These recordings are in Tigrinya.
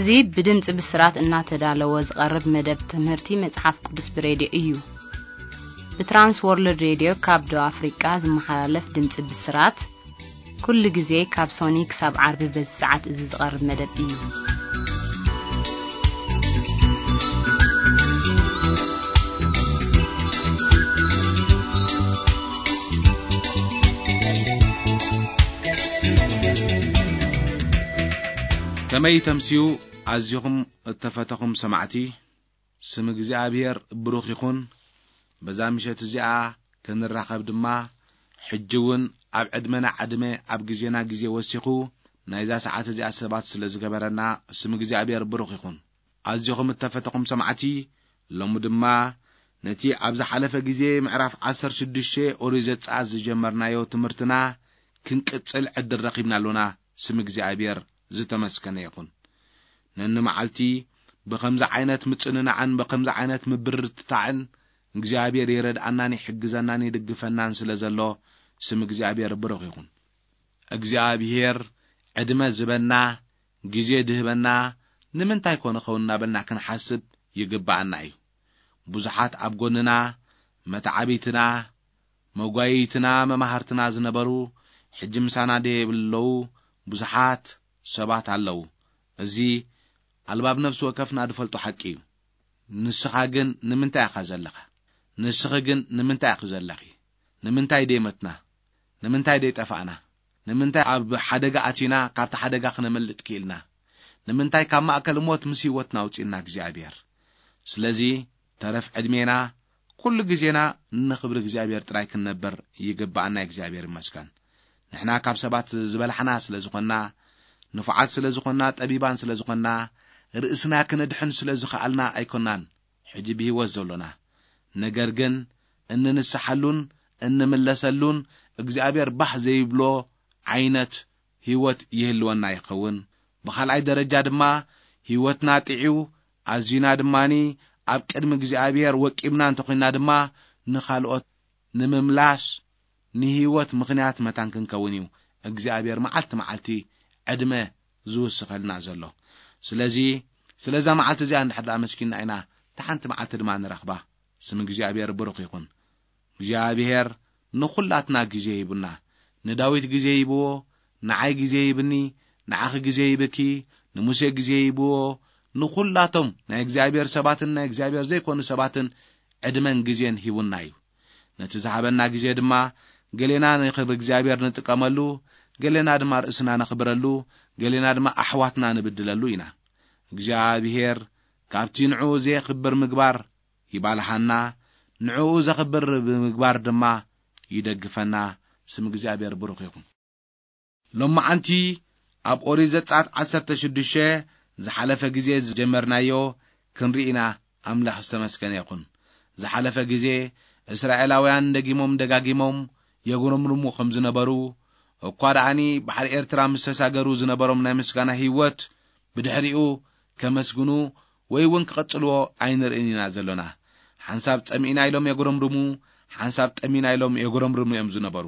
እዚ ብድምፂ ብስራት እናተዳለወ ዝቐርብ መደብ ትምህርቲ መፅሓፍ ቅዱስ ብሬድዮ እዩ። ብትራንስ ወርልድ ሬድዮ ካብ ደቡብ ኣፍሪቃ ዝመሓላለፍ ድምፂ ብስራት ኩሉ ግዜ ካብ ሶኒ ክሳብ ዓርቢ በዚ ሰዓት እዚ ዝቐርብ መደብ እዩ። ከመይ ተምስዩ ኣዚኹም እተፈተኹም ሰማዕቲ፣ ስም እግዚኣብሔር ብሩኽ ይኹን። በዛ ምሸት እዚኣ ክንራኸብ ድማ ሕጂ እውን ኣብ ዕድመና ዕድመ ኣብ ግዜና ግዜ ወሲኹ ናይዛ ሰዓት እዚኣ ሰባት ስለ ዝገበረና ስም እግዚኣብሔር ብሩኽ ይኹን። ኣዚኹም እተፈተኹም ሰማዕቲ፣ ሎሚ ድማ ነቲ ኣብ ዝሓለፈ ግዜ ምዕራፍ ዓሰርተ ሽዱሽተ ኦሪት ዘጸኣት ዝጀመርናዮ ትምህርትና ክንቅጽል ዕድል ረኺብና ኣሎና። ስም እግዚኣብሔር ዝተመስገነ ይኹን። ነንመዓልቲ ብኸምዚ ዓይነት ምጽንናዕን ብኸምዚ ዓይነት ምብርትታዕን እግዚኣብሔር ይረድኣናን ይሕግዘናን ይድግፈናን ስለ ዘሎ ስም እግዚኣብሔር ብሩኽ ይኹን። እግዚኣብሔር ዕድመ ዝበና፣ ግዜ ድህበና ንምንታይ ኮን ኸውን እናበልና ክንሓስብ ይግብኣና እዩ። ብዙሓት ኣብ ጎንና፣ መተዓቢትና፣ መጓየይትና፣ መማህርትና ዝነበሩ ሕጂ ምሳና ደየብለዉ ብዙሓት ሰባት ኣለዉ። እዚ ኣልባብ ነፍሲ ወከፍና ዝፈልጦ ሓቂ እዩ። ንስኻ ግን ንምንታይ ኢኻ ዘለኻ? ንስኺ ግን ንምንታይ ኢኺ ዘለኺ? ንምንታይ ደይመትና? ንምንታይ ደይጠፋእና? ንምንታይ ኣብ ሓደጋ ኣቲና ካብቲ ሓደጋ ክነመልጥ ክኢልና? ንምንታይ ካብ ማእከል ሞት ምስ ህይወትና ኣውጺእና እግዚኣብሔር? ስለዚ ተረፍ ዕድሜና ኩሉ ግዜና ንኽብሪ እግዚኣብሔር ጥራይ ክንነብር ይግብኣና። እግዚኣብሔር ይመስገን። ንሕና ካብ ሰባት ዝበላሕና ስለ ዝኾንና፣ ንፉዓት ስለ ዝኾንና፣ ጠቢባን ስለ ዝኾንና፣ ርእስና ክነድሕን ስለ ዝኸኣልና ኣይኮናን ሕጂ ብህይወት ዘሎና። ነገር ግን እንንስሓሉን እንምለሰሉን እግዚኣብሔር ባህ ዘይብሎ ዓይነት ህይወት ይህልወና ይኸውን። ብኻልኣይ ደረጃ ድማ ህይወትና ጥዕዩ ኣዚና ድማኒ ኣብ ቅድሚ እግዚኣብሔር ወቂብና እንተኾይንና ድማ ንኻልኦት ንምምላስ ንህይወት ምኽንያት መታን ክንከውን እዩ እግዚኣብሔር መዓልቲ መዓልቲ ዕድመ ዝውስኸልና ዘሎ። ስለዚ ስለዛ መዓልቲ እዚኣ እንድሕር ደኣ መስኪንና ኢና፣ እታ ሓንቲ መዓልቲ ድማ ንረኽባ። ስም እግዚኣብሔር ብሩኽ ይኹን። እግዚኣብሔር ንኹላትና ግዜ ሂቡና። ንዳዊት ግዜ ሂብዎ፣ ንዓይ ግዜ ሂብኒ፣ ንዓኺ ግዜ ሂብኪ፣ ንሙሴ ግዜ ሂብዎ። ንኹላቶም ናይ እግዚኣብሔር ሰባትን ናይ እግዚኣብሔር ዘይኮኑ ሰባትን ዕድመን ግዜን ሂቡና እዩ። ነቲ ዝሃበና ግዜ ድማ ገሌና ንኽብሪ እግዚኣብሔር ንጥቀመሉ፣ ገሌና ድማ ርእስና ነኽብረሉ፣ ገሌና ድማ ኣሕዋትና ንብድለሉ ኢና። እግዚኣብሔር ካብቲ ንዕኡ ዘየኽብር ምግባር ይባልሃና፣ ንዕኡ ዘኽብር ብምግባር ድማ ይደግፈና። ስም እግዚኣብሔር ብሩኽ ይኹን። ሎማዓንቲ ኣብ ኦሪት ዘጸኣት ዓሰርተ ሽዱሽተ ዝሓለፈ ግዜ ዝጀመርናዮ ክንርኢ ኢና። ኣምላኽ ዝተመስገነ ይኹን። ዝሓለፈ ግዜ እስራኤላውያን ደጊሞም ደጋጊሞም የጉረምርሙ ከም ዝነበሩ፣ እኳ ደኣኒ ባሕሪ ኤርትራ ምስ ተሳገሩ ዝነበሮም ናይ ምስጋና ህይወት ብድሕሪኡ ከመስግኑ ወይ እውን ክቐጽልዎ ኣይንርእን ኢና ዘሎና። ሓንሳብ ጸሚእና ኢሎም የጉረምርሙ፣ ሓንሳብ ጠሚና ኢሎም የጉረምርሙ እዮም ዝነበሩ።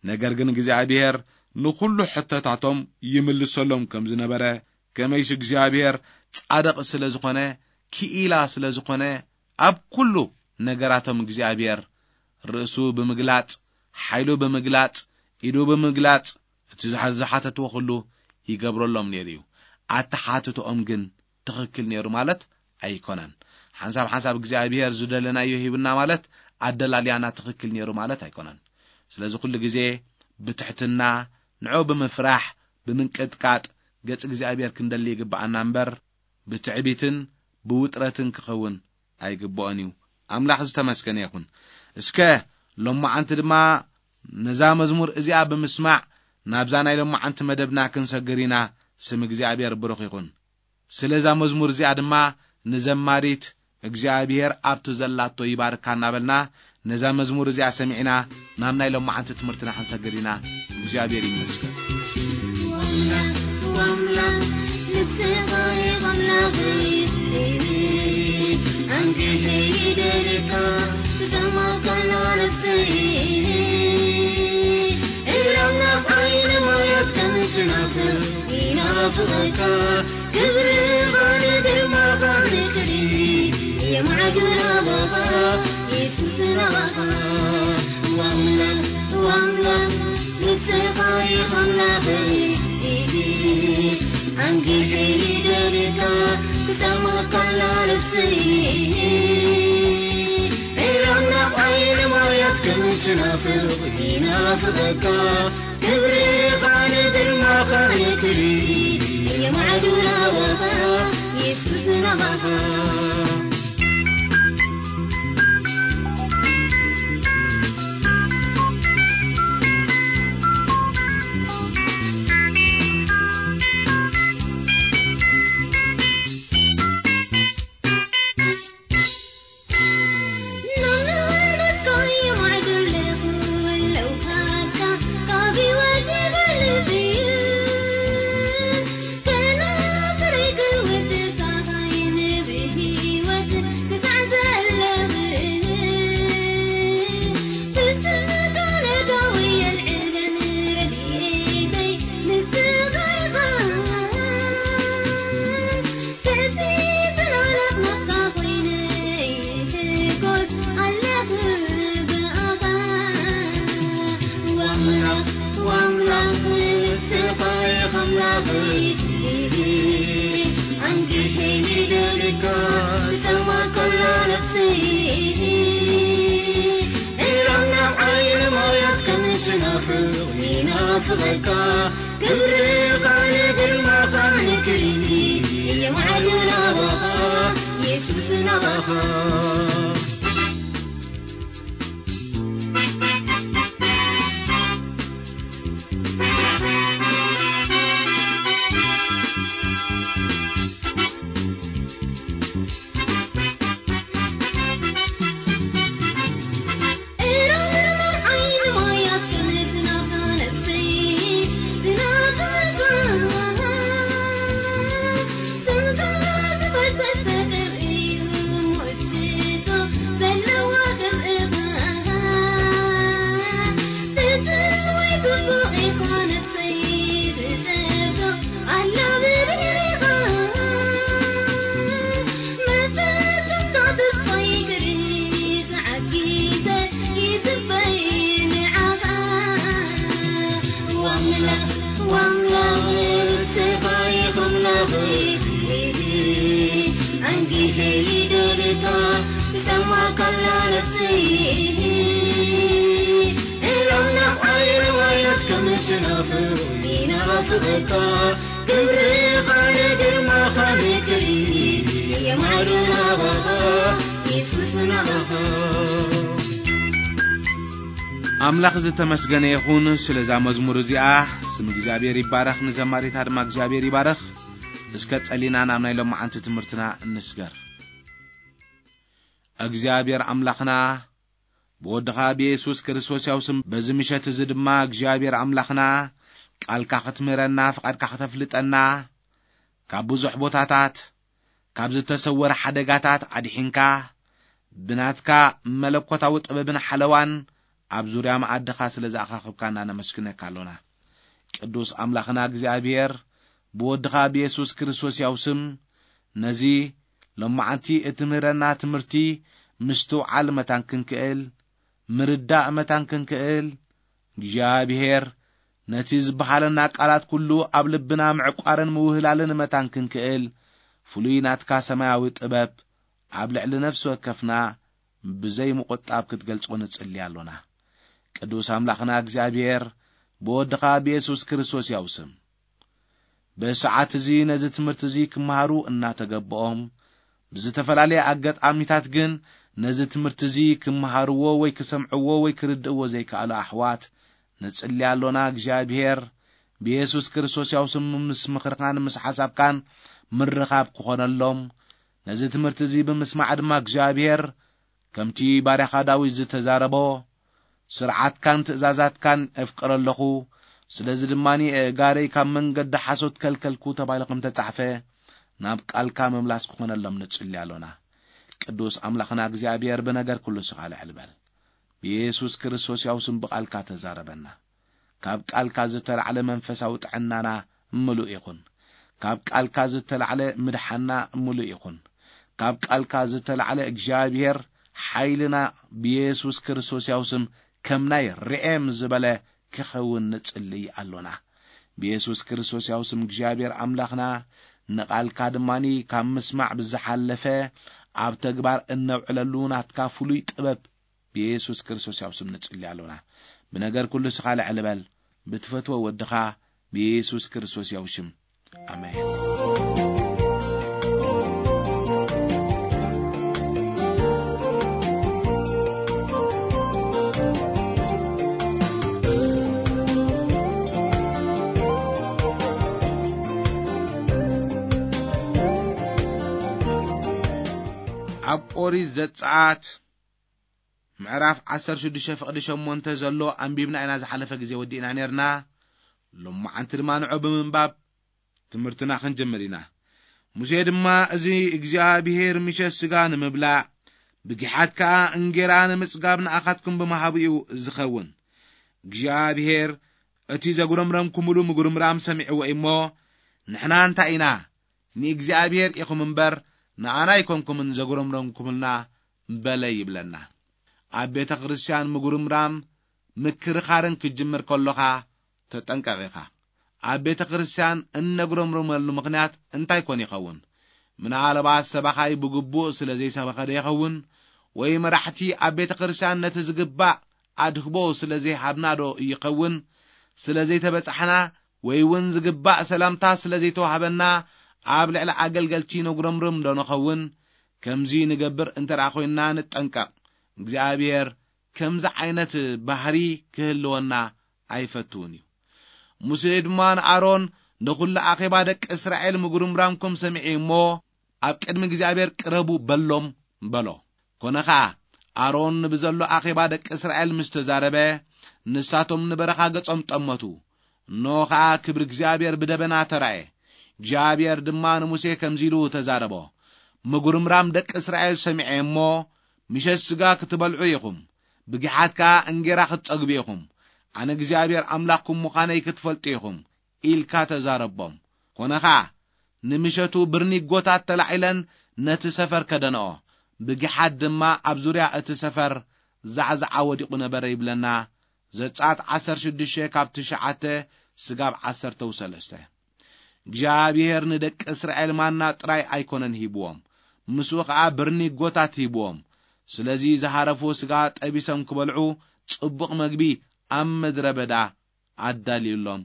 ነገር ግን እግዚኣብሔር ንኹሉ ሕቶታቶም ይምልሰሎም ከም ዝነበረ፣ ከመይሲ እግዚኣብሔር ጻድቕ ስለ ዝኾነ፣ ክኢላ ስለ ዝኾነ፣ ኣብ ኩሉ ነገራቶም እግዚኣብሔር ርእሱ ብምግላጽ፣ ሓይሉ ብምግላጽ፣ ኢዱ ብምግላጽ፣ እቲ ዝሓ-፣ ዝሓተትዎ ኩሉ ይገብረሎም ነይሩ እዩ። ኣተሓትትኦም ግን ትኽክል ነይሩ ማለት ኣይኮነን። ሓንሳብ ሓንሳብ እግዚኣብሔር ዝደለናዮ ሂብና ማለት ኣደላልያና ትኽክል ነይሩ ማለት ኣይኮነን። ስለዚ ኩሉ ግዜ ብትሕትና፣ ንዑ ብምፍራሕ፣ ብምንቅጥቃጥ ገጽ እግዚኣብሔር ክንደሊ ይግብኣና እምበር፣ ብትዕቢትን ብውጥረትን ክኸውን ኣይግብኦን እዩ። ኣምላኽ ዝተመስገነ ይኹን። እስከ ሎማዓንቲ ድማ ነዛ መዝሙር እዚኣ ብምስማዕ ናብዛ ናይ ሎማዓንቲ መደብና ክንሰግር ኢና። ስም እግዚኣብሔር ብሩኽ ይኹን። ስለዛ መዝሙር እዚኣ ድማ ንዘማሪት እግዚኣብሔር ኣብቲ ዘላቶ ይባርካ እናበልና ነዛ መዝሙር እዚኣ ሰሚዕና ናብ ናይ ሎማዓንቲ ትምህርትና ክንሰግር ኢና። እግዚኣብሔር ይመስገን። ኣምላኽ፣ ኣምላኽ፣ ንስኻ ኢኻ ኣምላኸይ፣ ኣንጊሀ ይደልየካ፣ ትሰማዕ ከላ ነፍሰይ። ኤረ ኣምላኽ ዓይኒ ማያት ከም ትናፍቕ ይናፍቐካ፣ ክብሪ ስናኻ ዋምላኽ ዋምላኽ ንስኻ ኢኻ ኣምላኸይ ኣንጊሐ ይደልየካ ክሰማካላ ነፍሰይ ኤራምና ዓይኒ ማያት ከምትናፍቕ ይናፍቐካ ክብርኻ ንግርማኻ ንክሪ የማዕዱ ናባኻ የሱስ ናባኻ ክብርኻ ንግርማኻ ንክሪ የማዕዱ ናባኻ የሱስ ናባኻ ኣምላኽ ዝተመስገነ ይኹን ስለዛ መዝሙር እዚኣ። ስም እግዚኣብሔር ይባረኽ፣ ንዘማሪታ ድማ እግዚኣብሔር ይባረኽ። እስከ ጸሊና ናብ ናይ ሎማዓንቲ ትምህርትና እንስገር። እግዚኣብሔር ኣምላኽና ብወድኻ ብየሱስ ክርስቶስ ያው ስም በዚ ምሸት እዚ ድማ እግዚኣብሔር ኣምላኽና ቃልካ ክትምህረና ፍቓድካ ከተፍልጠና ካብ ብዙሕ ቦታታት ካብ ዝተሰወረ ሓደጋታት ኣድሒንካ ብናትካ መለኮታዊ ጥበብን ሓለዋን ኣብ ዙርያ መኣድኻ ስለ ዝኣኻኽብካና ነመስግነካ ኣሎና። ቅዱስ ኣምላኽና እግዚኣብሔር ብወድኻ ብየሱስ ክርስቶስ ያው ስም ነዚ ሎማዓንቲ እትምህረና ትምህርቲ ምስትውዓል መታን ክንክእል ምርዳእ መታን ክንክእል እግዚኣብሔር ነቲ ዝበሃለና ቃላት ኩሉ ኣብ ልብና ምዕቋርን ምውህላልን መታን ክንክእል ፍሉይ ናትካ ሰማያዊ ጥበብ ኣብ ልዕሊ ነፍሲ ወከፍና ብዘይ ምቑጣብ ክትገልጾ ንጽሊ ኣሎና። ቅዱስ ኣምላኽና እግዚኣብሔር ብወድኻ ብየሱስ ክርስቶስ ያው ስም ብሰዓት እዚ ነዚ ትምህርቲ እዚ ክመሃሩ እናተገብኦም ብዝተፈላለየ ኣጋጣሚታት ግን ነዚ ትምህርቲ እዚ ክመሃርዎ ወይ ክሰምዕዎ ወይ ክርድእዎ ዘይከኣሉ ኣሕዋት ንጽሊ ኣሎና። እግዚኣብሔር ብየሱስ ክርስቶስ ያው ስም ምስ ምኽርካን ምስ ሓሳብካን ምርኻብ ክኾነሎም ነዚ ትምህርቲ እዚ ብምስማዕ ድማ እግዚኣብሔር ከምቲ ባርያኻ ዳዊት ዝተዛረቦ ስርዓትካን ትእዛዛትካን እፍቅር ኣለኹ፣ ስለዚ ድማ ኣእጋረይ ካብ መንገዲ ሓሶት ከልከልኩ ተባሂሉ ከም ተጻሕፈ ናብ ቃልካ ምምላስ ክኾነሎም ንጽሊ ኣሎና። ቅዱስ ኣምላኽና እግዚኣብሔር ብነገር ኩሉ ስኻ ልዕል በል። ብየሱስ ክርስቶስ ያው ስም ብቓልካ ተዛረበና። ካብ ቃልካ ዝተላዕለ መንፈሳዊ ጥዕናና ምሉእ ይኹን። ካብ ቃልካ ዝተላዕለ ምድሓና ምሉእ ይኹን። ካብ ቃልካ ዝተላዕለ እግዚኣብሔር ሓይልና ብየሱስ ክርስቶስ ያው ስም ከም ናይ ርኤም ዝበለ ክኸውን ንጽልይ ኣሎና። ብየሱስ ክርስቶስ ያው ስም እግዚኣብሔር ኣምላኽና ንቓልካ ድማኒ ካብ ምስማዕ ብዝሓለፈ ኣብ ተግባር እነውዕለሉ ናትካ ፍሉይ ጥበብ ብየሱስ ክርስቶስ ያው ስም ንጽሊ ኣሎና። ብነገር ኩሉ ስኻ ልዕል በል፣ ብትፈትዎ ወድኻ ብየሱስ ክርስቶስ ያው ሽም። ኣሜን። ኣብ ኦሪት ዘጸኣት ምዕራፍ ዓሰርተ ሽዱሽተ ፍቕዲ ሸሞንተ ዘሎ ኣንቢብና ኢና ዝሓለፈ ግዜ ወዲእና ኔርና። ሎማዓንቲ ድማ ንዑ ብምንባብ ትምህርትና ክንጅምር ኢና። ሙሴ ድማ፣ "እዚ እግዚኣብሄር ምሸት ስጋ ንምብላዕ፣ ብጊሓት ከኣ እንጌራ ንምጽጋብ ንኣኻትኩም ብምሃቡ እዩ ዝኸውን። እግዚኣብሄር እቲ ዘጉረምረምኩምሉ ምጉርምራም ሰሚዕዎ እሞ፣ ንሕና እንታይ ኢና? ንእግዚኣብሄር ኢኹም እምበር ንኣና ኣይኮንኩምን ዘጉረምረምኩምልና" በለ ይብለና። ኣብ ቤተ ክርስቲያን ምጉርምራም ምክርኻርን ክትጅምር ከሎኻ ተጠንቀቕ ኢኻ። ኣብ ቤተ ክርስቲያን እነጉረምርመሉ ምኽንያት እንታይ ኮን ይኸውን? ምናልባት ሰባኻይ ብግቡእ ስለ ዘይሰበኸ ዶ ይኸውን? ወይ መራሕቲ ኣብ ቤተ ክርስቲያን ነቲ ዝግባእ ኣድህቦ ስለ ዘይሃብና ዶ ይኸውን? ስለ ዘይተበጻሕና ወይ እውን ዝግባእ ሰላምታ ስለ ዘይተዋህበና ኣብ ልዕሊ ኣገልገልቲ ነጉረምርም ዶ ንኸውን? ከምዚ ንገብር እንተ ደኣ ኾይንና ንጠንቀቕ። እግዚኣብሔር ከምዚ ዓይነት ባህሪ ክህልወና ኣይፈትውን እዩ። ሙሴ ድማ ንኣሮን፣ "ንኹሉ ኣኼባ ደቂ እስራኤል ምጉርምራምኩም ሰሚዐ እሞ፣ ኣብ ቅድሚ እግዚኣብሔር ቅረቡ በሎም" በሎ። ኮነ ኸኣ፣ ኣሮን ንብዘሎ ኣኼባ ደቂ እስራኤል ምስ ተዛረበ፣ ንሳቶም ንበረኻ ገጾም ጠመቱ። እንሆ ኸኣ ክብሪ እግዚኣብሔር ብደበና ተራእየ። እግዚኣብሔር ድማ ንሙሴ ከምዚ ኢሉ ተዛረቦ፣ "ምጉርምራም ደቂ እስራኤል ሰሚዐ እሞ፣ ምሸት ስጋ ክትበልዑ ኢኹም፣ ብጊሓት ከኣ እንጌራ ክትጸግቡ ኢኹም። ኣነ እግዚኣብሔር ኣምላኽኩም ምዃነይ ክትፈልጡ ኢኹም" ኢልካ ተዛረቦም። ኮነ ኸኣ፣ ንምሸቱ ብርኒጎታት ተላዒለን ነቲ ሰፈር ከደንኦ፣ ብጊሓት ድማ ኣብ ዙርያ እቲ ሰፈር ዛዕዛዓ ወዲቑ ነበረ ይብለና። ዘጸኣት ዓሰርተ ሽዱሽተ ካብ ትሽዓተ ስጋብ ዓሰርተ ሰለስተ። እግዚኣብሔር ንደቂ እስራኤል ማና ጥራይ ኣይኮነን ሂብዎም፣ ምስኡ ኸኣ ብርኒጎታት ሂብዎም። ስለዚ ዝሃረፉ ስጋ ጠቢሶም ክበልዑ ጽቡቕ መግቢ ኣብ ምድረ በዳ ኣዳልዩሎም።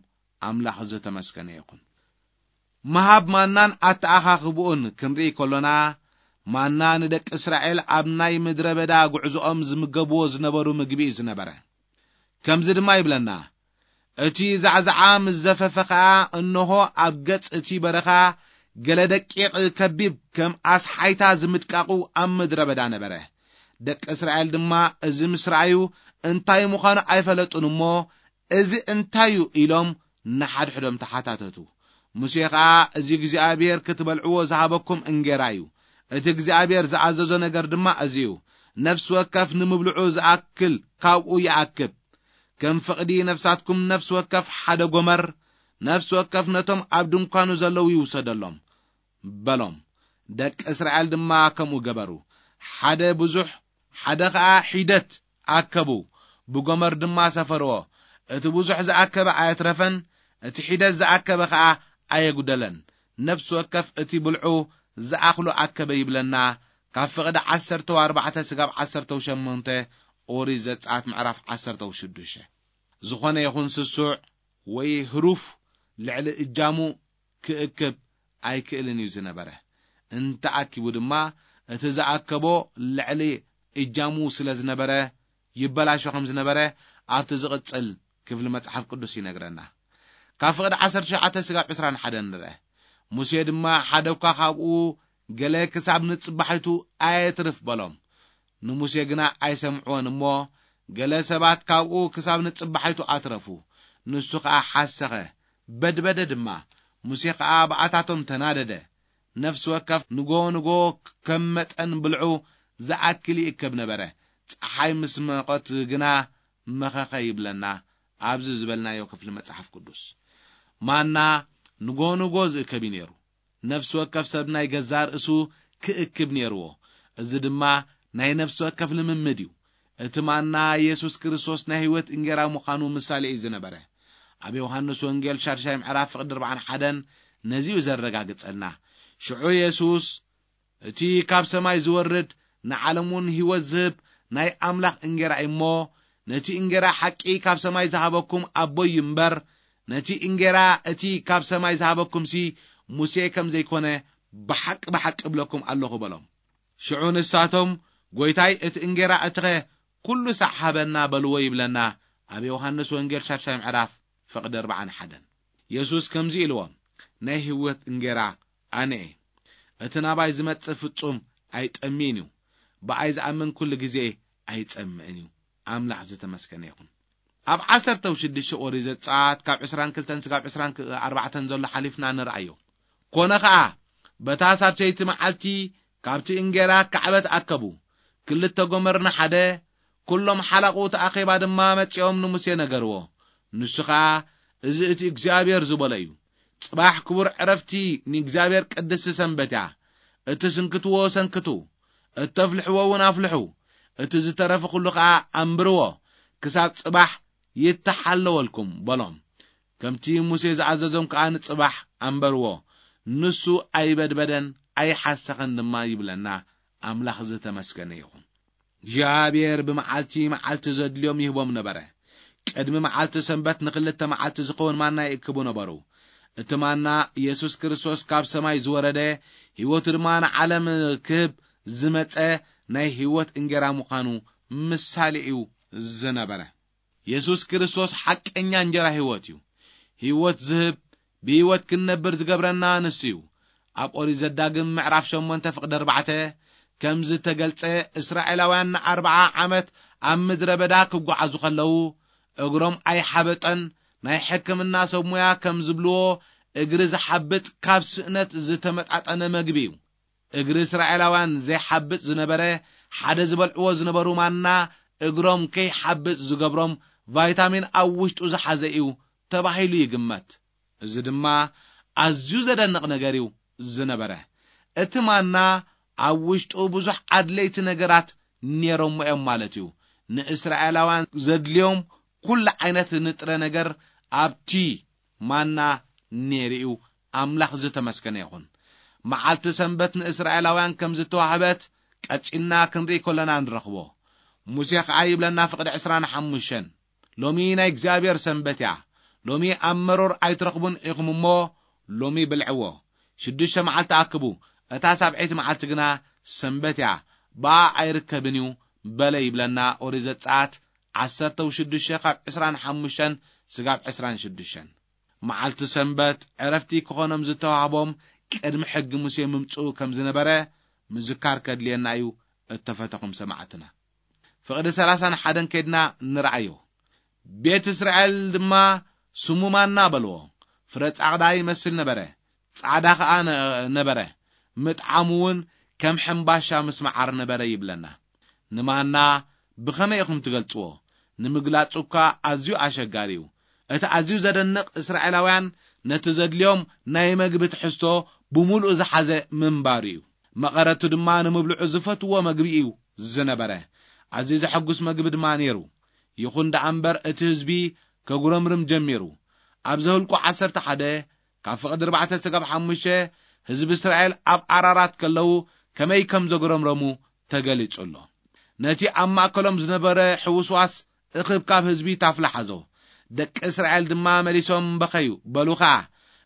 ኣምላኽ ዝተመስገነ ይኹን። ምሃብ ማናን ኣተኣኻኽብኡን ክንርኢ ከሎና፣ ማና ንደቂ እስራኤል ኣብ ናይ ምድረ በዳ ጉዕዞኦም ዝምገብዎ ዝነበሩ ምግቢ እዩ ዝነበረ። ከምዚ ድማ ይብለና፣ "እቲ ዛዕዛዓ ምስ ዘፈፈ ኸኣ፣ እንሆ፣ ኣብ ገጽ እቲ በረኻ ገለ ደቂቕ ከቢብ ከም ኣስሓይታ ዝምድቃቑ ኣብ ምድረ በዳ ነበረ። ደቂ እስራኤል ድማ እዚ ምስ ረኣዩ፣ እንታይ ምዃኑ ኣይፈለጡን እሞ፣ እዚ እንታይ እዩ?" ኢሎም ንሓድሕዶም ተሓታተቱ። ሙሴ ኸኣ፣ "እዚ እግዚኣብሔር ክትበልዕዎ ዝሃበኩም እንጌራ እዩ። እቲ እግዚኣብሔር ዝኣዘዞ ነገር ድማ እዚ እዩ። ነፍሲ ወከፍ ንምብልዑ ዝኣክል ካብኡ ይኣክብ። ከም ፍቕዲ ነፍሳትኩም ነፍሲ ወከፍ ሓደ ጎመር፣ ነፍሲ ወከፍ ነቶም ኣብ ድንኳኑ ዘለዉ ይውሰደሎም" በሎም። ደቂ እስራኤል ድማ ከምኡ ገበሩ። ሓደ ብዙሕ፣ ሓደ ኸኣ ሒደት ኣከቡ፣ ብጎመር ድማ ሰፈርዎ። እቲ ብዙሕ ዝኣከበ ኣየትረፈን፣ እቲ ሒደት ዝኣከበ ኸኣ ኣየጉደለን። ነፍሲ ወከፍ እቲ ብልዑ ዝኣኽሎ ኣከበ ይብለና፣ ካብ ፍቕዲ ዓሰርተ ኣርባዕተ ስጋብ ዓሰርተ ሸሞንተ ኦሪት ዘጸኣት ምዕራፍ ዓሰርተ ሽዱሽተ። ዝኾነ ይኹን ስሱዕ ወይ ህሩፍ ልዕሊ እጃሙ ክእክብ ኣይክእልን እዩ ዝነበረ። እንተኣኪቡ ድማ፣ እቲ ዝኣከቦ ልዕሊ እጃሙ ስለ ዝነበረ፣ ይበላሾ ከም ዝነበረ ኣብቲ ዝቕጽል ክፍሊ መጽሓፍ ቅዱስ ይነግረና። ካብ ፍቕዲ ዓሰርተ ትሽዓተ ስጋብ ዕስራን ሓደን ንርአ። ሙሴ ድማ፣ "ሓደ እኳ ካብኡ ገለ ክሳብ ንጽባሒቱ ኣየትርፍ" በሎም። ንሙሴ ግና ኣይሰምዕዎን እሞ፣ ገለ ሰባት ካብኡ ክሳብ ንጽባሒቱ ኣትረፉ። ንሱ ኸኣ ሓሰኸ፣ በድበደ ድማ። ሙሴ ኸኣ ብኣታቶም ተናደደ። ነፍሲ ወከፍ ንጎ ንጎ ከም መጠን ብልዑ ዝኣክል ይእከብ ነበረ። ጸሓይ ምስ መቖት ግና መኸኸ ይብለና ኣብዚ ዝበልናዮ ክፍሊ መጽሓፍ ቅዱስ። ማና ንጎ ንጎ ዝእከብ እዩ ነይሩ። ነፍሲ ወከፍ ሰብ ናይ ገዛእ ርእሱ ክእክብ ነይርዎ። እዚ ድማ ናይ ነፍሲ ወከፍ ልምምድ እዩ። እቲ ማና የሱስ ክርስቶስ ናይ ህይወት እንጌራ ምዃኑ ምሳሌ እዩ ዝነበረ። ኣብ ዮሃንስ ወንጌል ሻድሻይ ምዕራፍ ፍቕዲ ኣርባዓን ሓደን ነዚ እዩ ዘረጋግጸልና። ሽዑ የሱስ፣ "እቲ ካብ ሰማይ ዝወርድ ንዓለም እውን ህይወት ዝህብ ናይ ኣምላኽ እንጌራ እዩ እሞ፣ ነቲ እንጌራ ሓቂ ካብ ሰማይ ዝሃበኩም ኣቦይ እዩ እምበር፣ ነቲ እንጌራ እቲ ካብ ሰማይ ዝሃበኩምሲ ሙሴ ከም ዘይኮነ ብሓቂ ብሓቂ እብለኩም ኣለኹ" በሎም። ሽዑ ንሳቶም፣ "ጐይታይ፣ እቲ እንጌራ እቲኸ ኩሉ ሳዕ ሃበና" በልዎ ይብለና ኣብ ዮሃንስ ወንጌል ሻድሻይ ምዕራፍ ፍቕዲ ኣርባዓን ሓደን። የሱስ ከምዚ ኢልዎም፣ "ናይ ህይወት እንጌራ ኣነ እየ። እቲ ናባይ ዝመጽእ ፍጹም ኣይጠምይን እዩ። ብኣይ ዝኣምን ኩሉ ግዜ ኣይጸምእን እዩ።" ኣምላኽ ዝተመስገነ ይኹን። ኣብ ዓሰርተ ሽዱሽተ ኦሪት ዘጸኣት ካብ ዕስራን ክልተን ስጋብ ዕስራን ኣርባዕተን ዘሎ ሓሊፍና ንርኣዮ። ኮነ ኸኣ፣ በታ ሳልሰይቲ መዓልቲ ካብቲ እንጌራ ካዕበት ኣከቡ። ክልተ ጎመር ንሓደ፣ ኩሎም ሓላቑ እቲ ኣኼባ ድማ መጺኦም ንሙሴ ነገርዎ። ንሱ ኸኣ፣ "እዚ እቲ እግዚኣብሔር ዝበሎ እዩ። ጽባሕ ክቡር ዕረፍቲ ንእግዚኣብሔር ቅድስቲ ሰንበት እያ። እትስንክትዎ ሰንክቱ፣ እተፍልሕዎ እውን ኣፍልሑ፣ እቲ ዝተረፈ ኩሉ ኸኣ ኣንብርዎ፣ ክሳብ ጽባሕ ይተሓለወልኩም" በሎም። ከምቲ ሙሴ ዝኣዘዞም ከኣ ንጽባሕ ኣንበርዎ። ንሱ ኣይበድበደን ኣይሓሰኸን ድማ ይብለና። ኣምላኽ ዝተመስገነ ይኹን። እግዚኣብሔር ብመዓልቲ መዓልቲ ዘድልዮም ይህቦም ነበረ። ቅድሚ መዓልቲ ሰንበት ንኽልተ መዓልቲ ዝኸውን ማና ይእክቡ ነበሩ። እቲ ማና የሱስ ክርስቶስ ካብ ሰማይ ዝወረደ፣ ህይወቱ ድማ ንዓለም ክህብ ዝመጸ ናይ ህይወት እንጌራ ምዃኑ ምሳሌ እዩ ዝነበረ። የሱስ ክርስቶስ ሓቀኛ እንጀራ ህይወት እዩ። ህይወት ዝህብ፣ ብህይወት ክንነብር ዝገብረና ንሱ እዩ። ኣብ ኦሪት ዘዳግም ምዕራፍ ሸሞንተ ፍቕዲ ኣርባዕተ ከም ዝተገልጸ፣ እስራኤላውያን ንኣርብዓ ዓመት ኣብ ምድረ በዳ ክጓዓዙ ከለዉ፣ እግሮም ኣይሓበጠን። ናይ ሕክምና ሰብ ሞያ ከም ዝብልዎ፣ እግሪ ዝሓብጥ ካብ ስእነት ዝተመጣጠነ መግቢ እዩ። እግሪ እስራኤላውያን ዘይሓብጥ ዝነበረ፣ ሓደ ዝበልዕዎ ዝነበሩ ማና እግሮም ከይሓብጥ ዝገብሮም ቫይታሚን ኣብ ውሽጡ ዝሓዘ እዩ ተባሂሉ ይግመት። እዚ ድማ ኣዝዩ ዘደንቕ ነገር እዩ ዝነበረ። እቲ ማና ኣብ ውሽጡ ብዙሕ ኣድለይቲ ነገራት ነይሮሞ እዮም ማለት እዩ። ንእስራኤላውያን ዘድልዮም ኩሉ ዓይነት ንጥረ ነገር ኣብቲ ማና ነይሩ እዩ። ኣምላኽ ዝተመስገነ ይኹን። መዓልቲ ሰንበት ንእስራኤላውያን ከም ዝተዋህበት ቀጺልና ክንርኢ ከለና ንረኽቦ። ሙሴ ኸኣ ይብለና ፍቕዲ ዕስራን ሓሙሽተን፣ "ሎሚ ናይ እግዚኣብሔር ሰንበት እያ። ሎሚ ኣብ መሮር ኣይትረኽቡን ኢኹም እሞ ሎሚ ብልዕዎ። ሽዱሽተ መዓልቲ ኣክቡ፣ እታ ሳብዐይቲ መዓልቲ ግና ሰንበት እያ፣ ብኣ ኣይርከብን እዩ" በለ ይብለና ኦሪት ዘጸኣት ዓሰርተ ሽዱሽተ ካብ ዕስራን ሓሙሽተን ስጋብ ዕስራን ሽዱሽተን። መዓልቲ ሰንበት ዕረፍቲ ክኾኖም ዝተዋህቦም ቅድሚ ሕጊ ሙሴ ምምጽኡ ከም ዝነበረ ምዝካር ከድልየና እዩ። እተፈተኹም ሰማዕትና፣ ፍቕዲ ሰላሳን ሓደን ከድና ንርኣዮ። "ቤት እስራኤል ድማ ስሙ ማና በልዎ። ፍረ ጻዕዳ ይመስል ነበረ፣ ጻዕዳ ኸኣ ነ-፣ ነበረ። ምጥዓሙ እውን ከም ሕምባሻ ምስ መዓር ነበረ" ይብለና። ንማና ብኸመይ ኢኹም ትገልጽዎ? ንምግላጹ እኳ ኣዝዩ ኣሸጋሪ እዩ። እቲ ኣዝዩ ዘደንቕ፣ እስራኤላውያን ነቲ ዘድልዮም ናይ መግቢ ትሕዝቶ ብምሉኡ ዝሓዘ ምንባሩ እዩ። መቐረቱ ድማ ንምብልዑ ዝፈትዎ መግቢ እዩ ዝነበረ። ኣዝዩ ዘሐጉስ መግቢ ድማ ነይሩ። ይኹን ደኣ እምበር፣ እቲ ህዝቢ ከጉረምርም ጀሚሩ። ኣብ ዘኍልቁ ዓሰርተ ሓደ ካብ ፍቕዲ ኣርባዕተ ስጋብ ሓሙሽተ፣ ህዝቢ እስራኤል ኣብ ኣራራት ከለዉ ከመይ ከም ዘጉረምረሙ ተገሊጹ ኣሎ። ነቲ ኣብ ማእከሎም ዝነበረ ሕውስዋስ እኽብካብ ህዝቢ ታፍላ ሓዞ። ደቂ እስራኤል ድማ መሊሶም በኸዩ፣ በሉ ኸኣ፣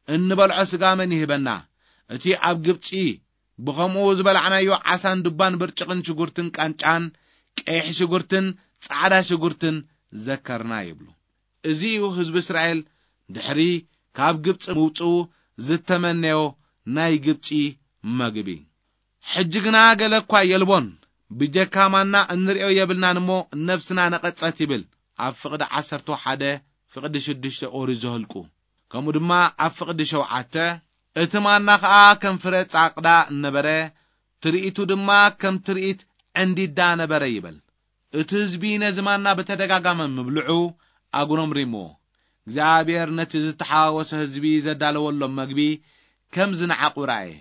"እንበልዖ ስጋ መን ይህበና? እቲ ኣብ ግብጺ ብኸምኡ ዝበላዕናዮ ዓሳን ዱባን ብርጭቕን ሽጉርትን ቃንጫን ቀይሕ ሽጉርትን ጻዕዳ ሽጉርትን ዘከርና" ይብሉ። እዚ እዩ ህዝቢ እስራኤል ድሕሪ ካብ ግብጺ ምውጽኡ ዝተመነዮ ናይ ግብጺ መግቢ። ሕጂ ግና ገለ እኳ የልቦን፣ ብጀካ ማና እንርእዮ የብልናን እሞ ነፍስና ነቐጸት ይብል ኣብ ፍቕዲ ዓሰርተ ሓደ ፍቕዲ ሽዱሽተ ኦሪት ዘኍልቁ። ከምኡ ድማ ኣብ ፍቕዲ ሸውዓተ፣ "እቲ ማና ኸኣ ከም ፍረ ጻቕዳ ነበረ፣ ትርኢቱ ድማ ከም ትርኢት ዕንዲዳ ነበረ" ይብል። እቲ ህዝቢ ነዚ ማና ብተደጋጋሚ ምብልዑ ኣጉረምሪምዎ። እግዚኣብሔር ነቲ ዝተሓዋወሰ ህዝቢ ዘዳለወሎም መግቢ ከም ዝነዓቑ ረኣየ።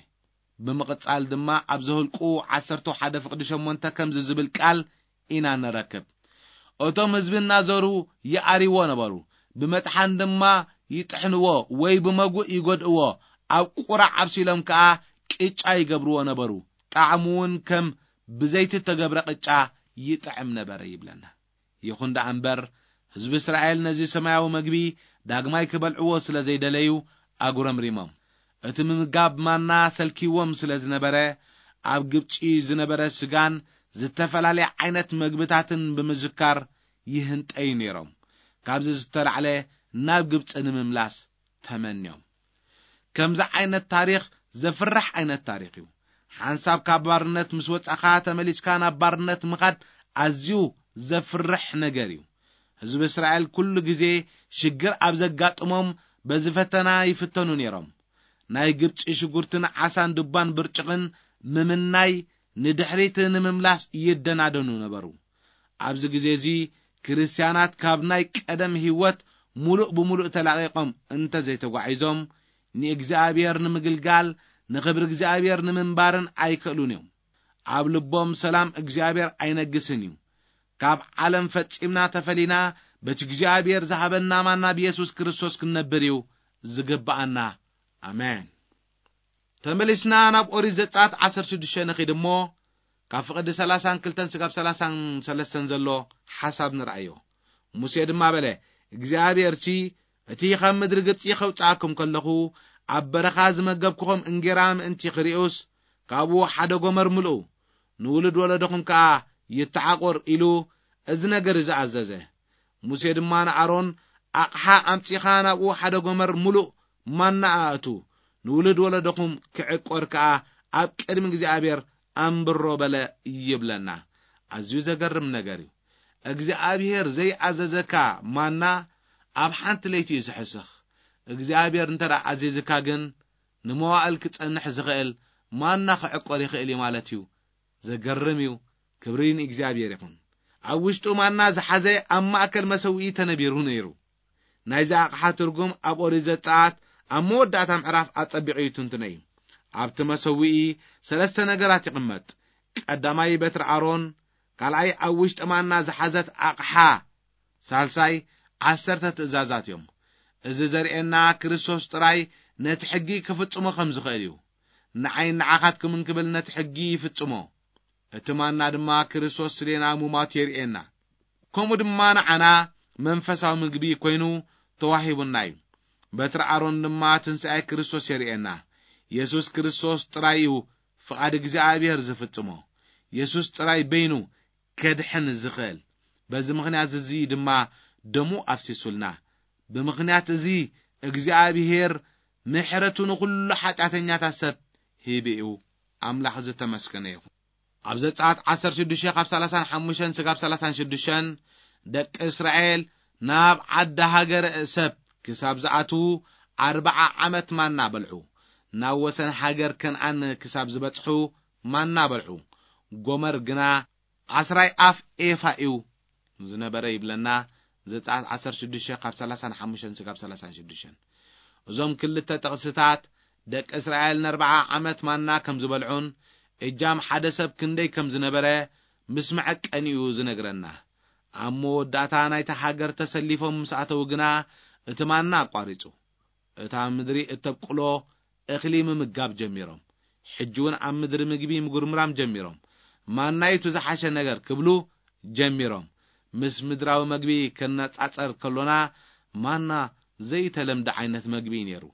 ብምቕጻል ድማ ኣብ ዘሁልቁ ዓሰርተ ሓደ ፍቕዲ ሸሞንተ ከምዚ ዝብል ቃል ኢና ንረክብ። እቶም ህዝቢ እናዘሩ ይኣርይዎ ነበሩ፣ ብመጥሓን ድማ ይጥሕንዎ ወይ ብመጉእ ይጎድእዎ፣ ኣብ ቁራዕ ኣብሲሎም ከኣ ቅጫ ይገብርዎ ነበሩ። ጣዕሙ እውን ከም ብዘይቲ እተገብረ ቅጫ ይጥዕም ነበረ ይብለና። ይኹን ደኣ እምበር፣ ህዝቢ እስራኤል ነዚ ሰማያዊ መግቢ ዳግማይ ክበልዕዎ ስለ ዘይደለዩ ኣጉረምሪሞም። እቲ ምምጋብ ማና ሰልኪዎም ስለ ዝነበረ፣ ኣብ ግብጺ ዝነበረ ስጋን ዝተፈላለየ ዓይነት መግብታትን ብምዝካር ይህንጠዩ ነይሮም። ካብዚ ዝተላዕለ ናብ ግብጺ ንምምላስ ተመንዮም። ከምዚ ዓይነት ታሪኽ ዘፍርሕ ዓይነት ታሪኽ እዩ። ሓንሳብ ካብ ባርነት ምስ ወጻኻ ተመሊስካ ናብ ባርነት ምኻድ ኣዝዩ ዘፍርሕ ነገር እዩ። ህዝቢ እስራኤል ኩሉ ግዜ ሽግር ኣብ ዘጋጥሞም በዚ ፈተና ይፍተኑ ነይሮም። ናይ ግብጺ ሽጉርትን ዓሳን ድባን ብርጭቕን ምምናይ ንድሕሪት ንምምላስ ይደናደኑ ነበሩ። ኣብዚ ግዜ እዚ ክርስትያናት ካብ ናይ ቀደም ህይወት ምሉእ ብምሉእ ተላቒቖም እንተ ዘይተጓዒዞም ንእግዚኣብሔር ንምግልጋል ንኽብሪ እግዚኣብሔር ንምንባርን ኣይክእሉን እዮም። ኣብ ልቦም ሰላም እግዚኣብሔር ኣይነግስን እዩ። ካብ ዓለም ፈጺምና ተፈሊና በቲ እግዚኣብሔር ዝሃበና ማና ብየሱስ ክርስቶስ ክንነብር እዩ ዝግብኣና። ኣሜን። ተመሊስና ናብ ኦሪት ዘጸኣት ዓሰርተ ሽዱሽተ ንኺድ እሞ፣ ካብ ፍቕዲ ሰላሳን ክልተን ስጋብ ሰላሳን ሰለስተን ዘሎ ሓሳብ ንርኣዮ። ሙሴ ድማ በለ፣ እግዚኣብሔርሲ እቲ ኻብ ምድሪ ግብጺ ኸውጽኣኩም ከለኹ ኣብ በረኻ ዝመገብኩኹም እንጌራ ምእንቲ ኽርእዩስ፣ ካብኡ ሓደ ጎመር ምልኡ፣ ንውሉድ ወለዶኹም ከኣ ይተዓቑር ኢሉ እዚ ነገር እዚ ኣዘዘ። ሙሴ ድማ ንኣሮን፣ ኣቕሓ ኣምጺኻ ናብኡ ሓደ ጎመር ምሉእ ማና ኣእቱ፣ ንውሉድ ወለዶኹም ክዕቆር ከኣ ኣብ ቅድሚ እግዚኣብሔር ኣንብሮ በለ ይብለና። ኣዝዩ ዘገርም ነገር እዩ። እግዚኣብሔር ዘይኣዘዘካ ማና ኣብ ሓንቲ ለይቲ እዩ ዝሕስኽ። እግዚኣብሔር እንተ ደኣ ኣዚዝካ ግን ንመዋእል ክጸንሕ ዝኽእል ማና ክዕቆር ይኽእል እዩ ማለት እዩ። ዘገርም እዩ። ክብሪ ንእግዚኣብሔር ይኹን። ኣብ ውሽጡ ማና ዝሓዘ ኣብ ማእከል መሰውኢ ተነቢሩ ነይሩ። ናይዚ ኣቕሓ ትርጉም ኣብ ኦሪት ዘጸኣት ኣብ መወዳእታ ምዕራፍ ኣጸቢቑ ይትንትኖ እዩ። ኣብቲ መሰውኢ ሰለስተ ነገራት ይቕመጥ። ቀዳማይ በትሪ ኣሮን፣ ካልኣይ ኣብ ውሽጢ ማና ዝሓዘት ኣቕሓ፣ ሳልሳይ ዓሰርተ ትእዛዛት እዮም። እዚ ዘርእየና ክርስቶስ ጥራይ ነቲ ሕጊ ክፍጽሞ ከም ዝኽእል እዩ። ንዓይን ንዓኻትኩምን ክብል ነቲ ሕጊ ይፍጽሞ። እቲ ማና ድማ ክርስቶስ ስሌና ሙማቱ የርእየና። ከምኡ ድማ ንዓና መንፈሳዊ ምግቢ ኮይኑ ተዋሂቡና እዩ። በትሪ ኣሮን ድማ ትንሳኤ ክርስቶስ የርእየና። የሱስ ክርስቶስ ጥራይ እዩ ፍቓድ እግዚኣብሔር ዝፍጽሞ። የሱስ ጥራይ በይኑ ከድሕን ዝኽእል። በዚ ምኽንያት እዚ ድማ ደሙ ኣፍሲሱልና። ብምኽንያት እዚ እግዚኣብሔር ምሕረቱ ንኹሉ ሓጢኣተኛታት ሰብ ሂቡ እዩ። ኣምላኽ ዝተመስገነ ይኹን። ኣብ ዘጸኣት ዓሰርተ ሽዱሽተ ካብ ሰላሳን ሓሙሽተን ስጋብ ሰላሳን ሽዱሽተን ደቂ እስራኤል ናብ ዓዲ ሃገረ ሰብ ክሳብ ዝኣትዉ ኣርብዓ ዓመት ማና በልዑ። ናብ ወሰን ሃገር ከነኣን ክሳብ ዝበጽሑ ማና በልዑ። ጎመር ግና ዓስራይ ኣፍ ኤፋ እዩ ዝነበረ ይብለና። ዘጸኣት ዓሰርተ ሽዱሽተ ካብ ሰላሳን ሓሙሽተን ስጋብ ሰላሳን ሽዱሽተን። እዞም ክልተ ጥቕስታት ደቂ እስራኤል ንኣርብዓ ዓመት ማና ከም ዝበልዑን እጃም ሓደ ሰብ ክንደይ ከም ዝነበረ ምስ መዐቀኒኡ ዝነግረና። ኣብ መወዳእታ ናይታ ሃገር ተሰሊፎም ምስ ኣተዉ ግና እቲ ማና ኣቋሪጹ። እታ ምድሪ እተብቁሎ እኽሊ ምምጋብ ጀሚሮም። ሕጂ እውን ኣብ ምድሪ ምግቢ ምጉርምራም ጀሚሮም። ማና እዩ እቲ ዝሓሸ ነገር ክብሉ ጀሚሮም። ምስ ምድራዊ መግቢ ከነጻጸር ከሎና ማና ዘይተለምደ ዓይነት መግቢ እዩ ነይሩ።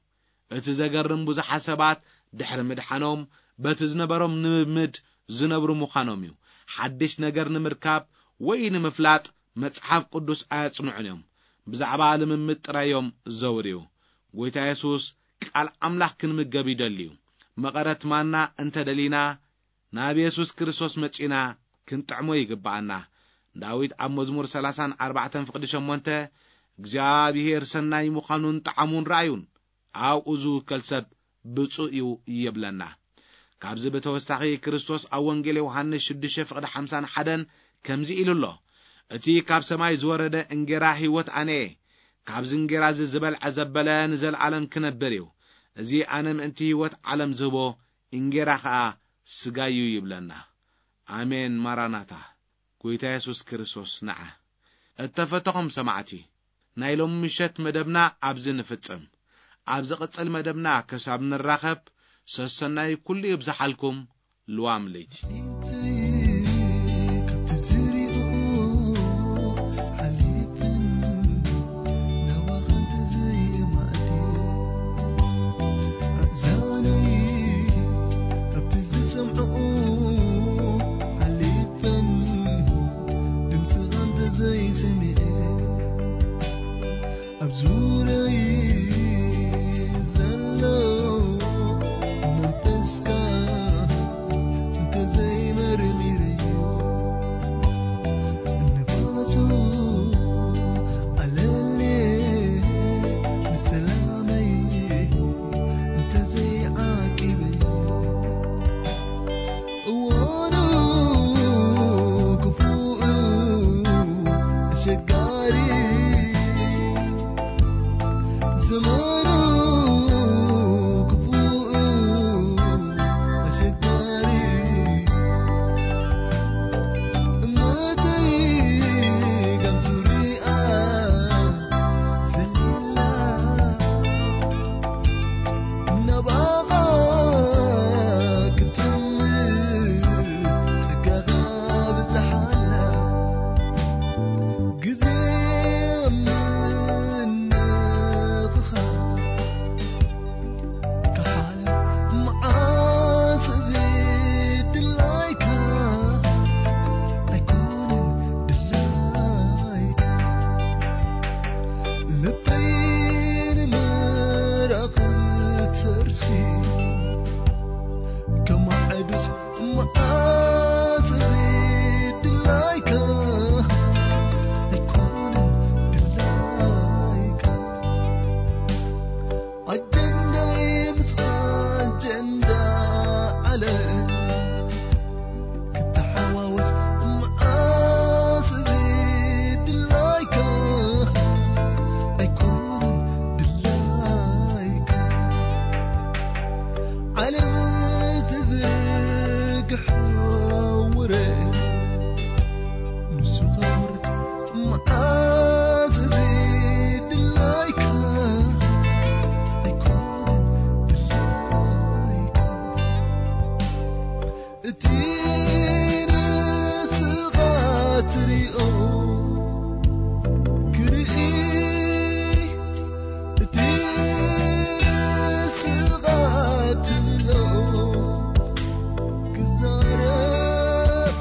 እቲ ዘገርም ብዙሓት ሰባት ድሕሪ ምድሓኖም በቲ ዝነበሮም ልምምድ ዝነብሩ ምዃኖም እዩ። ሓድሽ ነገር ንምርካብ ወይ ንምፍላጥ መጽሓፍ ቅዱስ ኣየጽንዑን እዮም። ብዛዕባ ልምምድ ጥራይ እዮም ዘውርዩ። ጐይታ የሱስ ቃል ኣምላኽ ክንምገብ ይደሊ እዩ። መቐረት ማና እንተ ደሊና ናብ የሱስ ክርስቶስ መጺእና ክንጥዕሞ ይግብኣና። ዳዊት ኣብ መዝሙር ሰላሳን ኣርባዕተን ፍቕዲ ሸሞንተ እግዚኣብሔር ሰናይ ምዃኑን ጣዕሙን ረኣዩን ኣብኡ ዝውከል ሰብ ብፁእ እዩ ይብለና። ካብዚ ብተወሳኺ ክርስቶስ ኣብ ወንጌል ዮሃንስ ሽዱሽተ ፍቕዲ ሓምሳን ሓደን ከምዚ ኢሉ ኣሎ፣ እቲ ካብ ሰማይ ዝወረደ እንጌራ ህይወት ኣነ እየ። ካብዚ እንጌራ እዚ ዝበልዐ ዘበለ ንዘለኣለም ክነብር እዩ። እዚ ኣነ ምእንቲ ህይወት ዓለም ዝህቦ እንጌራ ኸኣ ስጋዩ ይብለና። ኣሜን። ማራናታ፣ ጎይታ የሱስ ክርስቶስ ንዓ። እተፈተኹም ሰማዕቲ፣ ናይ ሎም ምሸት መደብና ኣብዚ ንፍጽም። ኣብ ዝቕጽል መደብና ክሳብ ንራኸብ፣ ሰሰናይ ኩሉ ይብዝሓልኩም። ልዋም ለይቲ። ካብቲ ዝሪኦ ሓሊፈን ናባኻ እንተዘየማዕድ፣ ኣእዛነይ ካብቲ ዝሰምዕኦ ሓሊፈን ድምፅኻ እንተዘይሰሚዐ፣ ኣብ ዙርያይ ዘሎ መንፈስካ እንተዘይመርሚረዮ፣ ንፋሱ ኣለልየ ንሰላመይ እንተዘይዓቂበዮ፣ እዋኑ ክፉእ ኣሸጋሪ፣ ዘመኑ ክፉእ ኣሸጋሪ፣ እምነተይ ካብ ዙርያ ዘላ፣ ናባኻ ክትጥምት ጸጋኻ ብዝሓላ፣ ግዜ ምንኽኻ ክሓልፍ መዓስ እዚ ድላይካ ኣይኮነን ድላይካ። ልበይ ንምራኽ ተርሲ ከማዕዱስ መዓስ እዚ ድላይካ ኣይኮነን ድላይካ። ኣጀንዳይ ምስ ኣጀንዳ ዓለም ክተሓዋወስ መዓስ እዚ ድላይካ ኣይኮነን ድላይካ። ዓለም ትዝርግሖ ውረ ንሱ ኸውር መዓስ እዚ ድላይካ ኣይኮነን ድላይካ። እቲ ንስኻ ትሪኦ ክርኢ፣ እቲ ንስኻ ትብሎ ክዛረብ፣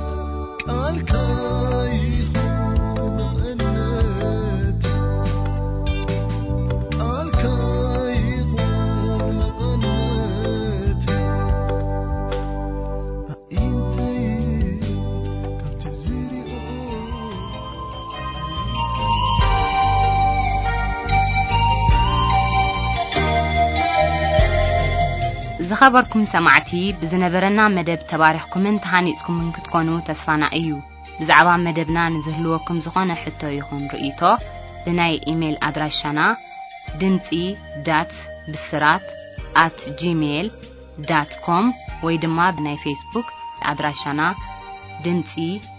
ቃልካ ይኹን መቐነት፣ ቃልካ ይኹን መቐነት። ኣዒንተይ ካብቲ ዝሪኦ። ዝኸበርኩም ሰማዕቲ፣ ብዝነበረና መደብ ተባሪኽኩምን ተሃኒጽኩምን ክትኮኑ ተስፋና እዩ። ብዛዕባ መደብና ንዝህልወኩም ዝኾነ ሕቶ ይኹን ርእይቶ፣ ብናይ ኢሜይል ኣድራሻና ድምጺ ዳት ብስራት ኣት ጂሜይል ዳት ኮም ወይ ድማ ብናይ ፌስቡክ ኣድራሻና ድምጺ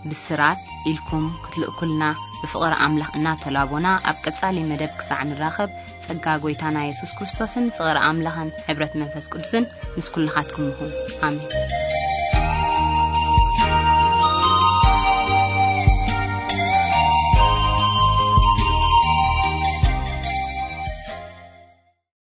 ብስራት ኢልኩም ክትልእኩልና ብፍቕሪ ኣምላኽ እናተላቦና፣ ኣብ ቀጻሊ መደብ ክሳዕ ንራኸብ፣ ጸጋ ጐይታና የሱስ ክርስቶስን ፍቕሪ ኣምላኽን ሕብረት መንፈስ ቅዱስን ምስ ኩልኻትኩም ይኹን። ኣሜን።